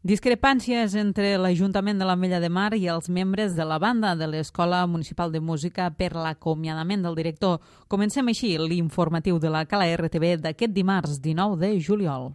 Discrepàncies entre l'Ajuntament de l'Ametlla de Mar i els membres de la banda de l'Escola Municipal de Música per l'acomiadament del director. Comencem així l'informatiu de la Cala RTV d'aquest dimarts 19 de juliol.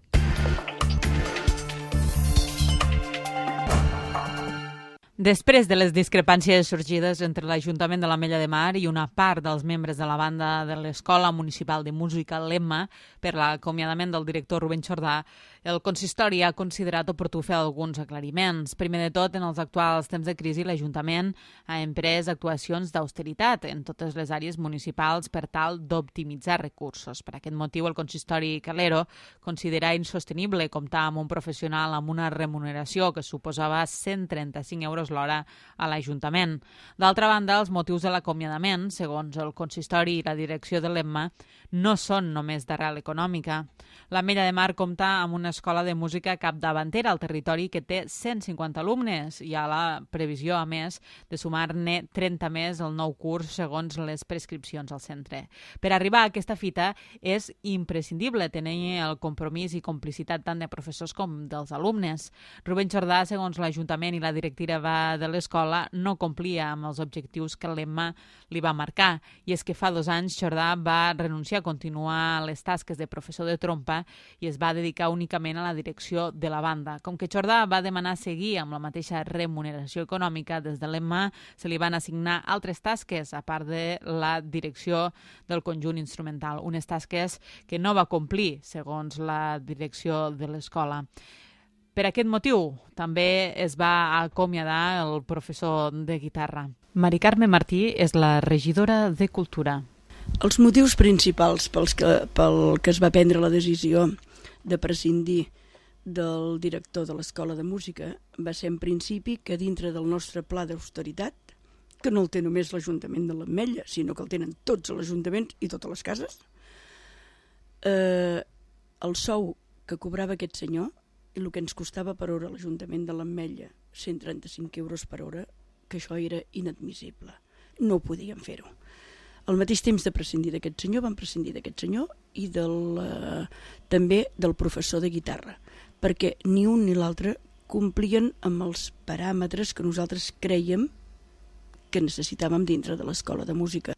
Després de les discrepàncies sorgides entre l'Ajuntament de l'Ametlla de Mar i una part dels membres de la banda de l'Escola Municipal de Música, l'EMMA, per l'acomiadament del director Rubén Jordà, el consistori ha considerat oportú fer alguns aclariments. Primer de tot, en els actuals temps de crisi, l'Ajuntament ha emprès actuacions d'austeritat en totes les àrees municipals per tal d'optimitzar recursos. Per aquest motiu, el consistori Calero considera insostenible comptar amb un professional amb una remuneració que suposava 135 euros l'hora a l'Ajuntament. D'altra banda, els motius de l'acomiadament, segons el consistori i la direcció de l'EMMA, no són només d'arrel econòmica. L'Ametlla de Mar compta amb una escola de música capdavantera al territori que té 150 alumnes i hi ha la previsió, a més, de sumar-ne 30 més al nou curs segons les prescripcions al centre. Per arribar a aquesta fita és imprescindible tenir el compromís i complicitat tant de professors com dels alumnes. Rubén Jordà, segons l'Ajuntament i la directiva de l'escola, no complia amb els objectius que l'EMMA li va marcar. I és que fa 2 anys Jordà va renunciar a continuar les tasques de professor de trompa i es va dedicar únicament a la direcció de la banda. Com que Jordà va demanar seguir amb la mateixa remuneració econòmica, des de l'EMMA se li van assignar altres tasques, a part de la direcció del conjunt instrumental, unes tasques que no va complir, segons la direcció de l'escola. Per aquest motiu, també es va acomiadar el professor de guitarra. Mari Carme Martí és la regidora de Cultura. Els motius principals pel que es va prendre la decisió de prescindir del director de l'Escola de Música va ser en principi que dintre del nostre pla d'austeritat, que no el té només l'Ajuntament de l'Ametlla, sinó que el tenen tots els ajuntaments i totes les cases, el sou que cobrava aquest senyor i el que ens costava per hora a l'Ajuntament de l'Ametlla, 135 euros per hora, que això era inadmissible. No podíem fer-ho. Al mateix temps de prescindir d'aquest senyor, van prescindir d'aquest senyor i també del professor de guitarra, perquè ni un ni l'altre complien amb els paràmetres que nosaltres crèiem que necessitàvem dintre de l'Escola de Música.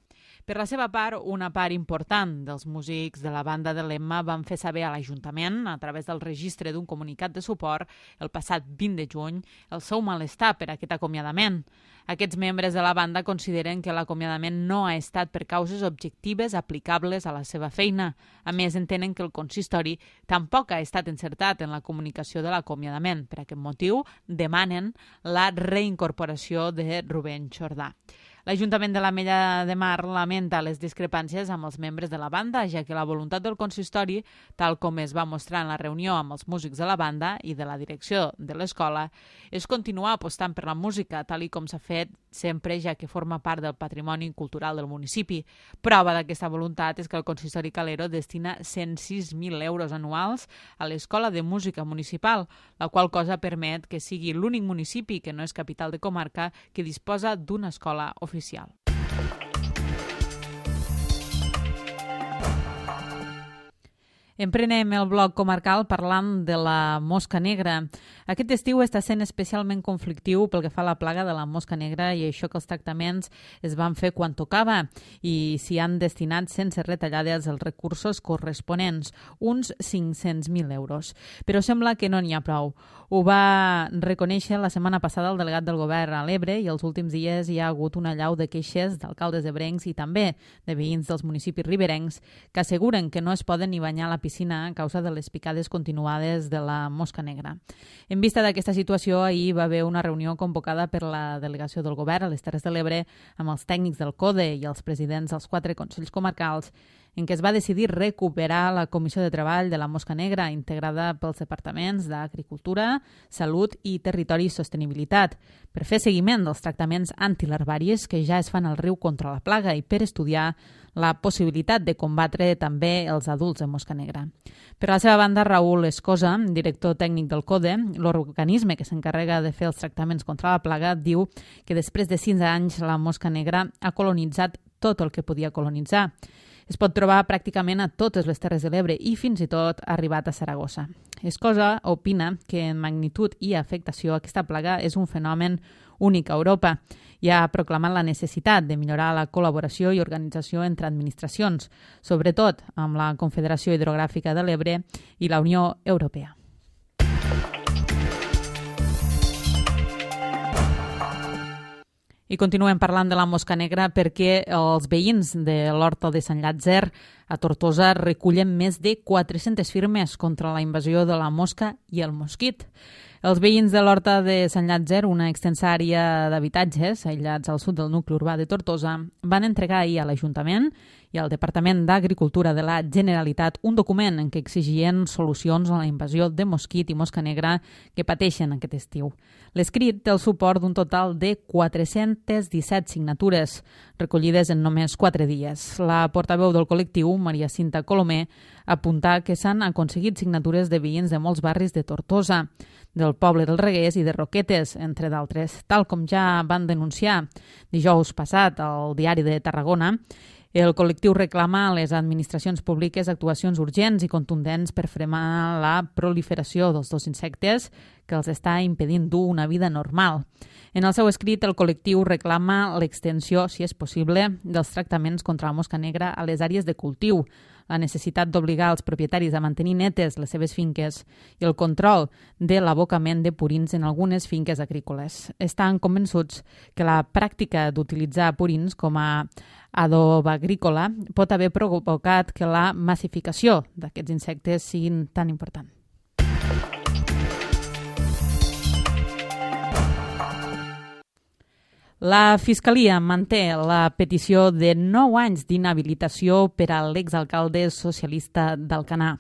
Per la seva part, una part important dels músics de la banda de l'EMMA van fer saber a l'Ajuntament, a través del registre d'un comunicat de suport, el passat 20 de juny, el seu malestar per aquest acomiadament. Aquests membres de la banda consideren que l'acomiadament no ha estat per causes objectives aplicables a la seva feina. A més, entenen que el consistori tampoc ha estat encertat en la comunicació de l'acomiadament. Per aquest motiu, demanen la reincorporació de Rubén Jordà. L'Ajuntament de l'Ametlla de Mar lamenta les discrepàncies amb els membres de la banda, ja que la voluntat del consistori, tal com es va mostrar en la reunió amb els músics de la banda i de la direcció de l'escola, és continuar apostant per la música, tal i com s'ha fet sempre, ja que forma part del patrimoni cultural del municipi. Prova d'aquesta voluntat és que el consistori Calero destina 106.000 euros anuals a l'Escola de Música Municipal, la qual cosa permet que sigui l'únic municipi que no és capital de comarca que disposa d'una escola oficial. Emprenem el bloc comarcal parlant de la mosca negra. Aquest estiu està sent especialment conflictiu pel que fa a la plaga de la mosca negra i això que els tractaments es van fer quan tocava i s'hi han destinat sense retallades els recursos corresponents, uns 500.000 euros. Però sembla que no n'hi ha prou. Ho va reconèixer la setmana passada el delegat del govern a l'Ebre i els últims dies hi ha hagut una allau de queixes d'alcaldes ebrencs i també de veïns dels municipis riberencs que asseguren que no es poden ni banyar a la piscina a causa de les picades continuades de la mosca negra. En vista d'aquesta situació, ahir va haver una reunió convocada per la delegació del govern a les Terres de l'Ebre amb els tècnics del CODE i els presidents dels 4 consells comarcals en què es va decidir recuperar la Comissió de Treball de la Mosca Negra, integrada pels departaments d'Agricultura, Salut i Territori i Sostenibilitat, per fer seguiment dels tractaments antilarvaris que ja es fan al riu contra la plaga i per estudiar la possibilitat de combatre també els adults de mosca negra. Per la seva banda, Raül Escosa, director tècnic del CODE, l'organisme que s'encarrega de fer els tractaments contra la plaga, diu que després de 6 anys la mosca negra ha colonitzat tot el que podia colonitzar. Es pot trobar pràcticament a totes les Terres de l'Ebre i fins i tot ha arribat a Saragossa. Escosa opina que en magnitud i afectació aquesta plaga és un fenomen únic a Europa i ha proclamat la necessitat de millorar la col·laboració i organització entre administracions, sobretot amb la Confederació Hidrogràfica de l'Ebre i la Unió Europea. I continuem parlant de la mosca negra perquè els veïns de l'Horta de Sant Llàtzer a Tortosa recullen més de 400 firmes contra la invasió de la mosca i el mosquit. Els veïns de l'Horta de Sant Llàtzer, una extensa àrea d'habitatges aïllats al sud del nucli urbà de Tortosa, van entregar ahir a l'Ajuntament i al Departament d'Agricultura de la Generalitat un document en què exigien solucions a la invasió de mosquit i mosca negra que pateixen aquest estiu. L'escrit té el suport d'un total de 417 signatures, recollides en només 4 dies. La portaveu del col·lectiu, Maria Cinta Colomer, apunta que s'han aconseguit signatures de veïns de molts barris de Tortosa, del poble dels Reguers i de Roquetes, entre d'altres. Tal com ja van denunciar dijous passat al Diari de Tarragona, el col·lectiu reclama a les administracions públiques actuacions urgents i contundents per frenar la proliferació dels dos insectes que els està impedint dur una vida normal. En el seu escrit, el col·lectiu reclama l'extensió, si és possible, dels tractaments contra la mosca negra a les àrees de cultiu, la necessitat d'obligar els propietaris a mantenir netes les seves finques i el control de l'abocament de purins en algunes finques agrícoles. Estan convençuts que la pràctica d'utilitzar purins com a adob agrícola pot haver provocat que la massificació d'aquests insectes siguin tan important. La Fiscalia manté la petició de 9 anys d'inhabilitació per a l'exalcalde socialista d'Alcanar.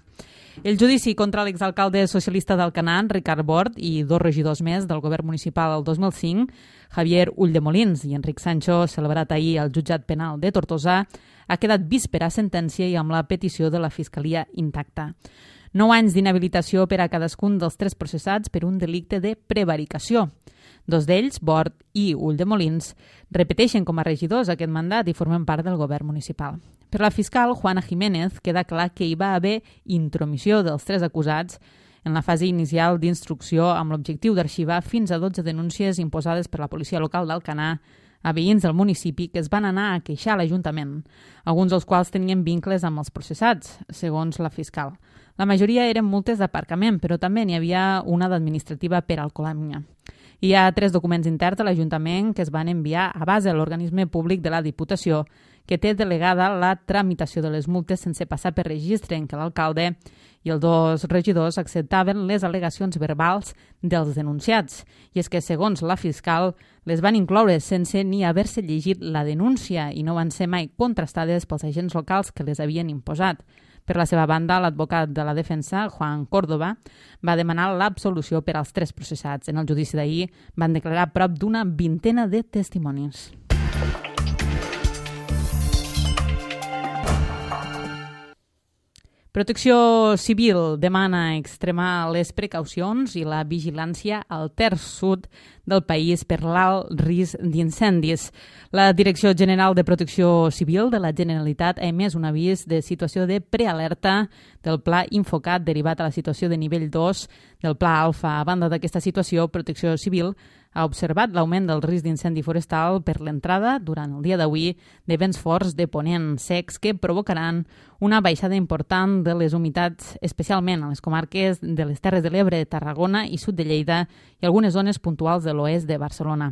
El judici contra l'exalcalde socialista d'Alcanar, Ricard Bort, i 2 regidors més del govern municipal el 2005, Javier Ulldemolins i Enric Sancho, celebrat ahir al jutjat penal de Tortosa, ha quedat víspera sentència i amb la petició de la Fiscalia intacta. 9 anys d'inhabilitació per a cadascun dels 3 processats per un delicte de prevaricació. 2 d'ells, Bort i Ulldemolins, repeteixen com a regidors aquest mandat i formen part del govern municipal. Per la fiscal Juana Jiménez queda clar que hi va haver intromissió dels 3 acusats en la fase inicial d'instrucció amb l'objectiu d'arxivar fins a 12 denúncies imposades per la policia local d'Alcanar a veïns del municipi que es van anar a queixar a l'Ajuntament, alguns dels quals tenien vincles amb els processats, segons la fiscal. La majoria eren multes d'aparcament, però també n'hi havia una d'administrativa per alcoholèmia. Hi ha 3 documents interns de l'Ajuntament que es van enviar a base a l'organisme públic de la Diputació, que té delegada la tramitació de les multes sense passar per registre, en què l'alcalde i els 2 regidors acceptaven les al·legacions verbals dels denunciats. I és que, segons la fiscal, les van incloure sense ni haver-se llegit la denúncia i no van ser mai contrastades pels agents locals que les havien imposat. Per la seva banda, l'advocat de la defensa, Juan Córdoba, va demanar l'absolució per als 3 processats. En el judici d'ahir van declarar prop d'una 20 de testimonis. Protecció Civil demana extremar les precaucions i la vigilància al terç sud del país per l'alt risc d'incendis. La Direcció General de Protecció Civil de la Generalitat ha emès un avís de situació de prealerta del Pla Infocat derivat a la situació de nivell 2 del Pla Alfa. A banda d'aquesta situació, Protecció Civil ha observat l'augment del risc d'incendi forestal per l'entrada, durant el dia d'avui, de vents forts de ponent secs que provocaran una baixada important de les humitats, especialment a les comarques de les Terres de l'Ebre, Tarragona i sud de Lleida i algunes zones puntuals de l'oest de Barcelona.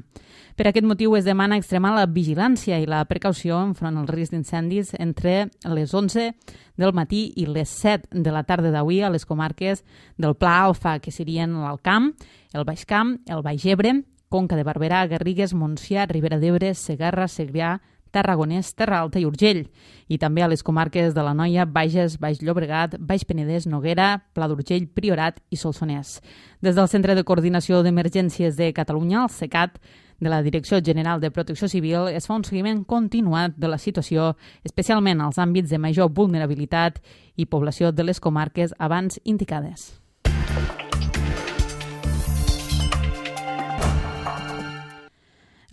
Per aquest motiu es demana extremar la vigilància i la precaució enfront al risc d'incendis entre les 11 del matí i les 7 de la tarda d'avui a les comarques del Pla Alfa, que serien l'Alt Camp, el Baix Camp, el Baix Ebre, Conca de Barberà, Garrigues, Montsià, Ribera d'Ebre, Segarra, Segrià, Tarragonès, Terra Alta i Urgell, i també a les comarques de l'Anoia, Bages, Baix Llobregat, Baix Penedès, Noguera, Pla d'Urgell, Priorat i Solsonès. Des del Centre de Coordinació d'Emergències de Catalunya, el CECAT, de la Direcció General de Protecció Civil, es fa un seguiment continuat de la situació, especialment als àmbits de major vulnerabilitat i població de les comarques abans indicades.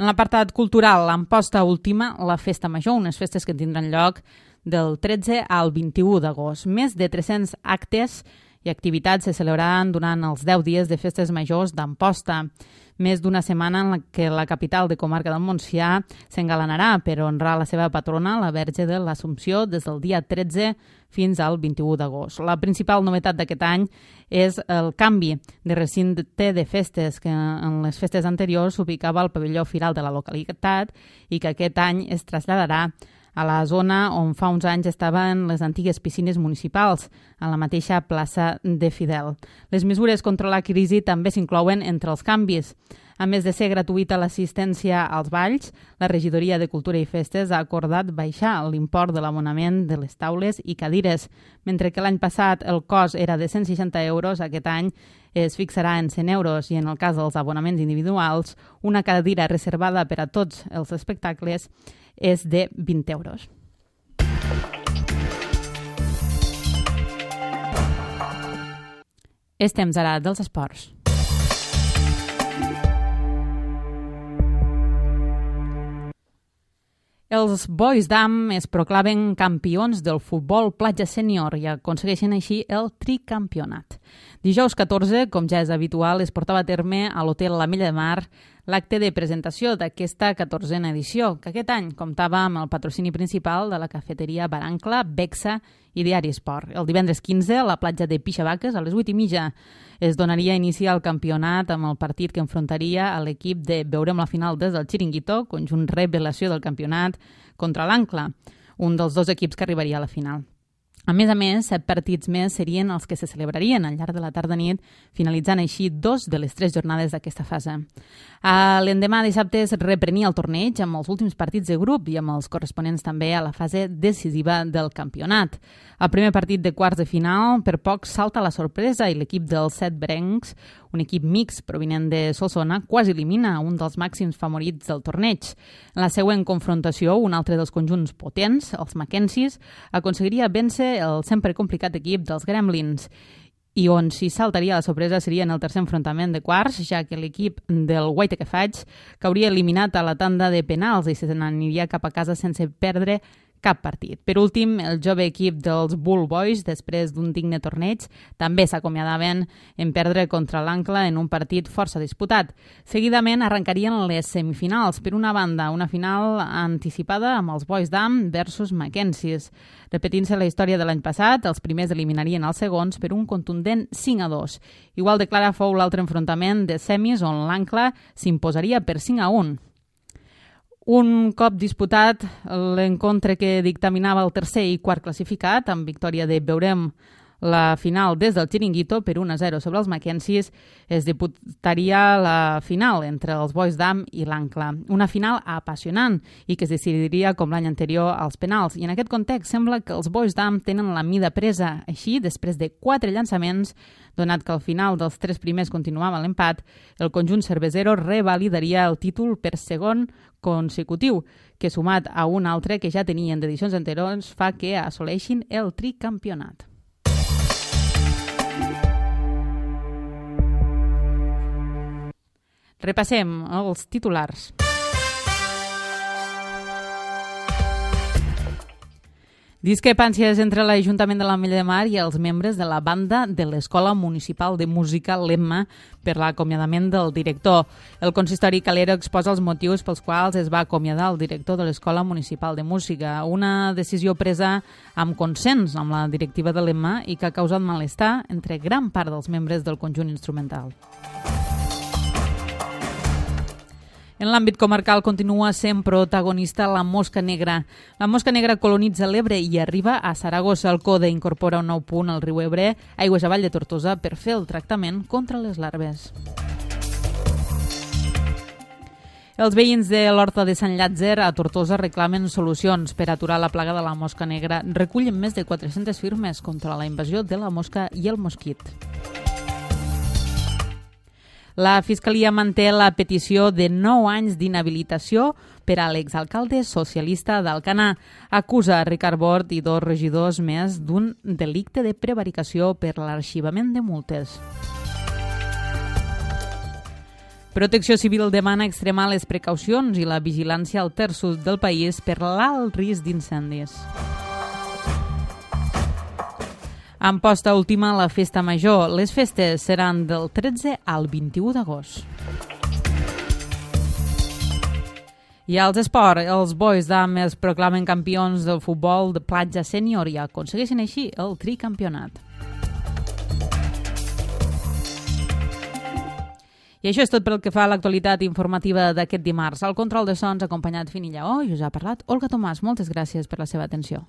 En l'apartat cultural, l'Amposta Última, la Festa Major, unes festes que tindran lloc del 13 al 21 d'agost. Més de 300 actes i activitats se celebraran durant els 10 dies de festes majors d'Amposta. Més d'una setmana en la que la capital de comarca del Montsià s'engalanarà per honrar la seva patrona, la Verge de l'Assumpció, des del dia 13 fins al 21 d'agost. La principal novetat d'aquest any és el canvi de recinte de festes, que en les festes anteriors s'ubicava al pavelló firal de la localitat i que aquest any es traslladarà a la zona on fa uns anys estaven les antigues piscines municipals, a la mateixa plaça de Fidel. Les mesures contra la crisi també s'inclouen entre els canvis. A més de ser gratuïta l'assistència als balls, la Regidoria de Cultura i Festes ha acordat baixar l'import de l'abonament de les taules i cadires. Mentre que l'any passat el cost era de 160 euros, aquest any es fixarà en 100 euros i en el cas dels abonaments individuals, una cadira reservada per a tots els espectacles és de 20 euros. És temps ara dels esports. Els Boys d'Am es proclamen campions del futbol platja sènior i aconsegueixen així el tricampionat. Dijous 14, com ja és habitual, es portava a terme a l'Hotel l'Ametlla de Mar l'acte de presentació d'aquesta 14a edició, que aquest any comptava amb el patrocini principal de la cafeteria Barancla, Bexa i Diari Esport. El divendres 15, a la platja de Pixavaques, a les 8:30, es donaria inici al campionat amb el partit que enfrontaria a l'equip de Veurem la final des del Chiringuito, conjunt revelació del campionat, contra l'Ancla, un dels dos equips que arribaria a la final. A més, 7 partits més serien els que se celebrarien al llarg de la tarda-nit, finalitzant així 2 de les 3 jornades d'aquesta fase. L'endemà dissabte es reprenia el torneig amb els últims partits de grup i amb els corresponents també a la fase decisiva del campionat. El primer partit de quarts de final per poc salta la sorpresa i l'equip dels setbrencs, un equip mix provinent de Solsona, quasi elimina un dels màxims favorits del torneig. En la següent confrontació, un altre dels conjunts potents, els Mackenzies, aconseguiria vèncer el sempre complicat equip dels Gremlins, i on s'hi saltaria la sorpresa seria en el tercer enfrontament de quarts, ja que l'equip del Guaita que faig cauria eliminat a la tanda de penals i se n'aniria cap a casa sense perdre cap partit. Per últim, el jove equip dels Bull Boys, després d'un digne torneig, també s'acomiadaven en perdre contra l'Ancla en un partit força disputat. Seguidament arrencarien les semifinals. Per una banda, una final anticipada amb els Boys d'Am versus Mackenzies. Repetint-se la història de l'any passat, els primers eliminarien els segons per un contundent 5-2. Igual de clara fou l'altre enfrontament de semis on l'Ancla s'imposaria per 5-1. Un cop disputat l'encontre que dictaminava el tercer i quart classificat, amb victòria de Veurem la final des del Chiringuito per 1-0 sobre els Mackenzies, es disputaria la final entre els Boys d'Am i l'Ancla. Una final apassionant i que es decidiria com l'any anterior als penals. I en aquest context sembla que els Boys d'Am tenen la mida presa. Així, després de 4 llançaments, donat que al final dels 3 primers continuava l'empat, el conjunt cervesero revalidaria el títol per segon consecutiu, que sumat a un altre que ja tenien d'edicions anteriors fa que assoleixin el tricampionat. Repassem els titulars. Discrepàncies entre l'Ajuntament de l'Ametlla de Mar i els membres de la banda de l'Escola Municipal de Música l'Emma per l'acomiadament del director. El consistori Calero exposa els motius pels quals es va acomiadar el director de l'Escola Municipal de Música, una decisió presa amb consens amb la directiva de l'Emma i que ha causat malestar entre gran part dels membres del conjunt instrumental. En l'àmbit comarcal continua sent protagonista la mosca negra. La mosca negra colonitza l'Ebre i arriba a Saragossa. El CODE incorpora un nou punt al riu Ebre, aigües avall de Tortosa, per fer el tractament contra les larves. Els veïns de l'Horta de Sant Llàtzer a Tortosa reclamen solucions per aturar la plaga de la mosca negra. Recullen més de 400 firmes contra la invasió de la mosca i el mosquit. La Fiscalia manté la petició de 9 anys d'inhabilitació per a l'exalcalde socialista d'Alcanar. Acusa a Ricard Bort i 2 regidors més d'un delicte de prevaricació per l'arxivament de multes. Protecció Civil demana extremar les precaucions i la vigilància al terç sud del país per l'alt risc d'incendis. En posta última, la festa major. Les festes seran del 13 al 21 d'agost. I als esports, els Boys d'Am es proclamen campions del futbol de platja sènior i aconsegueixen així el tricampionat. I això és tot pel que fa a l'actualitat informativa d'aquest dimarts. Al control de sons, acompanyat Fini Lleó, i us ha parlat Olga Tomàs. Moltes gràcies per la seva atenció.